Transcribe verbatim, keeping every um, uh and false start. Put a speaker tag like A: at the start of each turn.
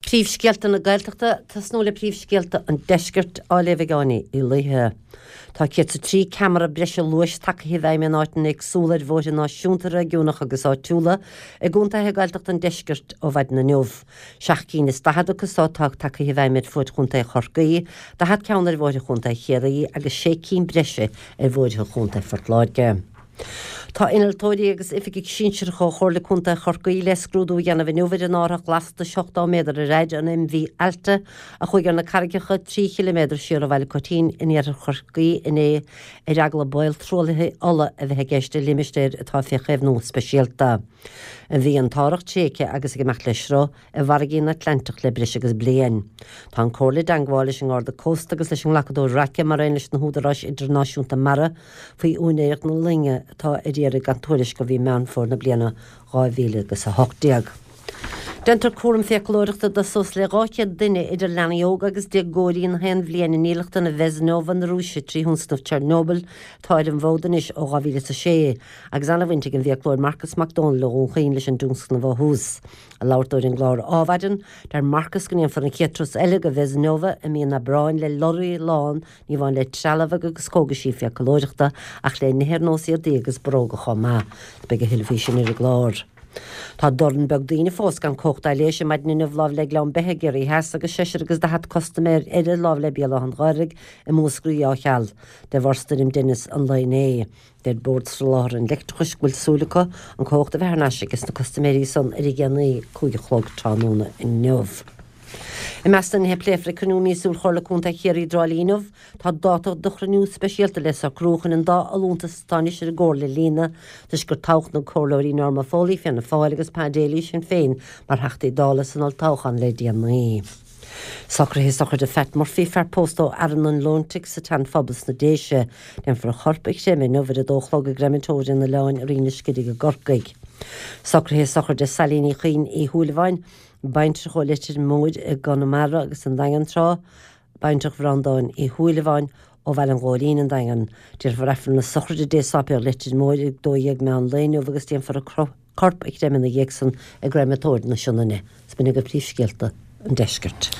A: Príomhscéalta na Gaeltachta tosnú le príomhscéalta an deiscirt á léamh ag Áine Ní Laoithe. Tá céad is a trí ceamara breise luais tagtha i bhfeidhm in áiteanna éagsúla ar bhóithre náisiúnta réigiúnach agus áitiúla i gcontaetha Gaeltachta an deiscirt ó mhaidin inniu. Seacht gcinn is daichead acu so atá tagtha i bhfeidhm ar fuaid Chontae Chorcaí, daichead ceann ar bhóithre Chontae Chiarraí agus sé cinn breise ar bhóithre Chontae Phort Láirge. Tá innealtóirí agus oifigigh sinsearacha ó Chomhairle Contae Chorcaí le scrúdú a dhéanamh inniu ar an árthach lastais ochtó méadar ar fhaid an MV Alta a chuaigh ar na carraigeacha trí chiliméadar siar ó Bhaile Coitín in iarthar Chorcaí inné ar eagla baol truaillithe ola a bheith i gceist i limistéar atá fé chaomhnú speisialta. Bhí an t-árthach tréigthe agus ag imeacht le sruth i bhfarraige an Atlantach le breis agus bliain. Tá an Comhairle i dteangmháil leis an nGarda Cósta agus leis an nglacadóir raice mar aon leis na húdaráis idirnáisiúnta mara faoi úinéireacht na loinge atá ar iarraidh gan tuairisc ó mhí Meán Fómhair na bliana dhá mhíle agus a hocht déag. Déantar cúram fiaclóireachta do suas le dhá chéad duine idir leanaí óga agus déagóirí na haon bhliain i ndílleachtlann Vesnova na Rúise trí thionscnamh Chernobyl atá ar an bhfód anois ó dhá mhíle is a sé agus an-bhaint ag an bhfiaclóir Marcus Mac Dónaill ó Dhún Chaoin leis an dtionscnamh ó thús. Ag labhairt dó ar an gclár Adhmhaidin, deir Marcus go ndéanfar an chéad turas eile go Vesnova i mí an Aibreáin le lorraí lán ní amháin le trealamh agus cógaisí fiaclóireachta ach le nithe ar nós éadaí agus bróga chomh maith. Beidh a thuilleadh faoi sin ar an gclár. Tá dorn beag daoine fós gan cumhacht aibhléise maidin inniu lámh le Gleann Beithe i gCiarraí Theas agus seisear agus daichead custaiméir eile lámh le Béal Átha an Ghaorthaidh i Múscraí á cheal de bharr stoirm Dennis an lae inné. Deir Bord Soláthair an Leictreachais go bhfuil súil acu an cumhacht a bheith thar n-ais aige sna custaiméirí san ar a dhéanaí cúig a chlog tráthnóna inniu. I measc na nithe a pléifear ag cruinniú míosúil Chomhairle Contae Chiarraí i dTrá Lí inniu, tá dáta do chruinniú speisialta le socrú chun an dá fholúntas atá anois ar an gComhairle a líonadh, toisc gur toghadh na comhairleoirí Norma Foley, Fianna Fáil, agus Pa Daly, Sinn Féin, mar Theachtaí Dála san olltoghchán le déanaí. Socruithe sochraide Phat Murphy, fear pósta ó Fhearann an Leointigh sa tSean-Phobal sna Déise. Déanfar a chorp a chreimeadh inniu ar a dó a chlog i gcreimeatóir an Oileáin i Rinn an Scirígh i gCorcaigh. Socruithe sochraide Sailí Ní Chuinn Uí Shúilleabháin, Baintreach ó Leitir Móir i gConamara agus an Daingean tráth, baintreach Bhreandáin Uí Shúilleabháin ó Bhaile an Ghóilín, an Daingean. Déarfar Aifreann na sochraide Dé Sáipéal Leitir Móir ag dó dhéag meán lae inniu agus déanfar a corp a chreimeadh ina dhiaidh san i gcreimeatóir na Sionainne. Is b'in agaibh príomhscéalta an deiscirt.